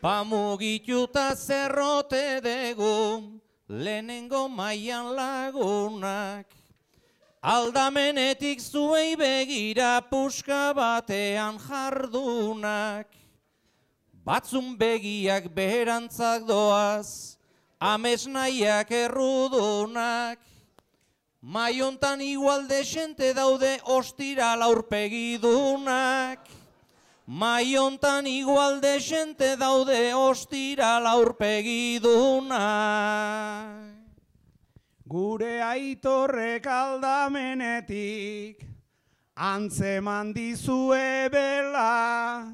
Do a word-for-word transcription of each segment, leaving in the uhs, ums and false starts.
Pamugituta zerrote dugu, lehenengo mailan lagunak. Aldamenetik zuei begira puska batean jardunak. Batzun begiak beherantzak doaz, amesnaiak errudunak. Maiontan igual desente daude ostiral aurpegidunak. Maiontan igual desente daude ostiral aurpegidunak. Gure aitorrek aldamenetik antzeman dizue bela.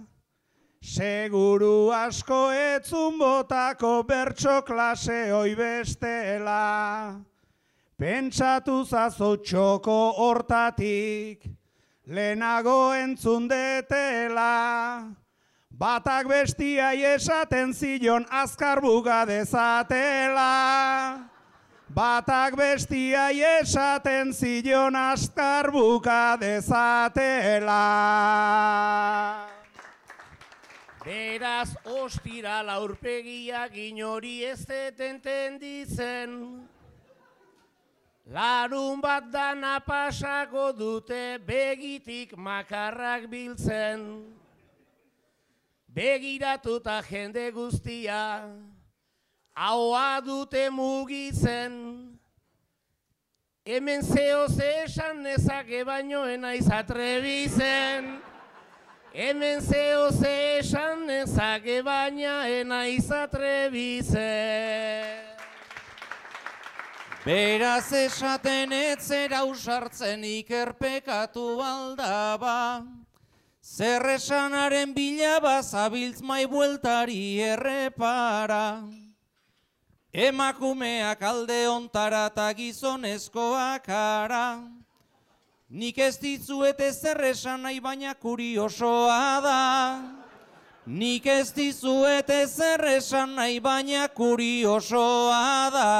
Seguru asko etzun botako bertso klase hoi bestela. Pentsatu zazo txoko hortatik, lehenago entzun detela. Batak bestiai esaten zion azkar buga dezatela. Batak bestiai esaten zion azkar buka dezatela. Beraz ostiral aurpegiak inori ez detenten dizen. Larun bat dana pasako dute begitik makarrak biltzen. Begiratuta jende guztia, ahoa dute mugitzen. Hemen zeo ze esan nezake baino enaiz atrebizen. Hemen zeo ze esan nezake baina enaiz atrebizen. Beraz esaten etzera usartzen ikerpekatu aldaba. Zer esanaren bilaba zabiltz mai bueltari errepara. Emakumeak alde ontara eta gizonezkoak ara. Nik ez dizuet ezer esan nahi baina kuriosoa da. Nik ez dizuet ezer esan nahi baina kuriosoa da.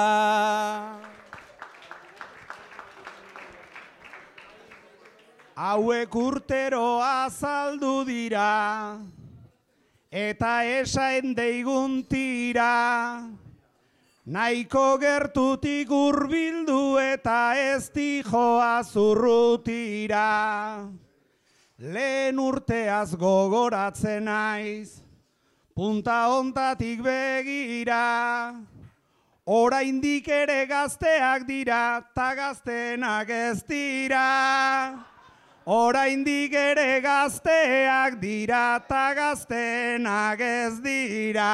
Hauek urtero azaldu dira, eta esaen deigun tira. Nahiko gertutik hurbildu eta ez dijoa zurrutira. Lehen urteaz gogoratzen naiz, punta hontatik begira. Oraindik ere gazteak dira, ta gaztenak ez dira. Oraindik ere gazteak dira, ta gaztenak ez dira.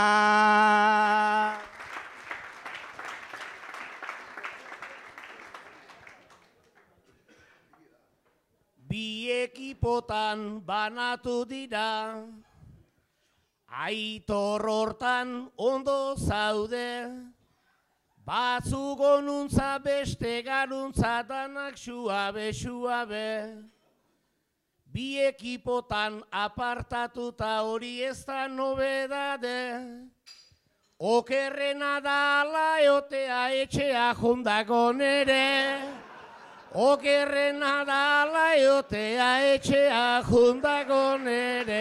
Bi ekipotan banatu dira, Aitor hortan ondo zaude, batzuk onuntza beste garuntza danak suabe, suabe. Bi ekipotan apartatuta hori ez da nobedade, okerrena da ala eotea etxea jondako nere. Okerrena da ala eotea etxea jondako nere.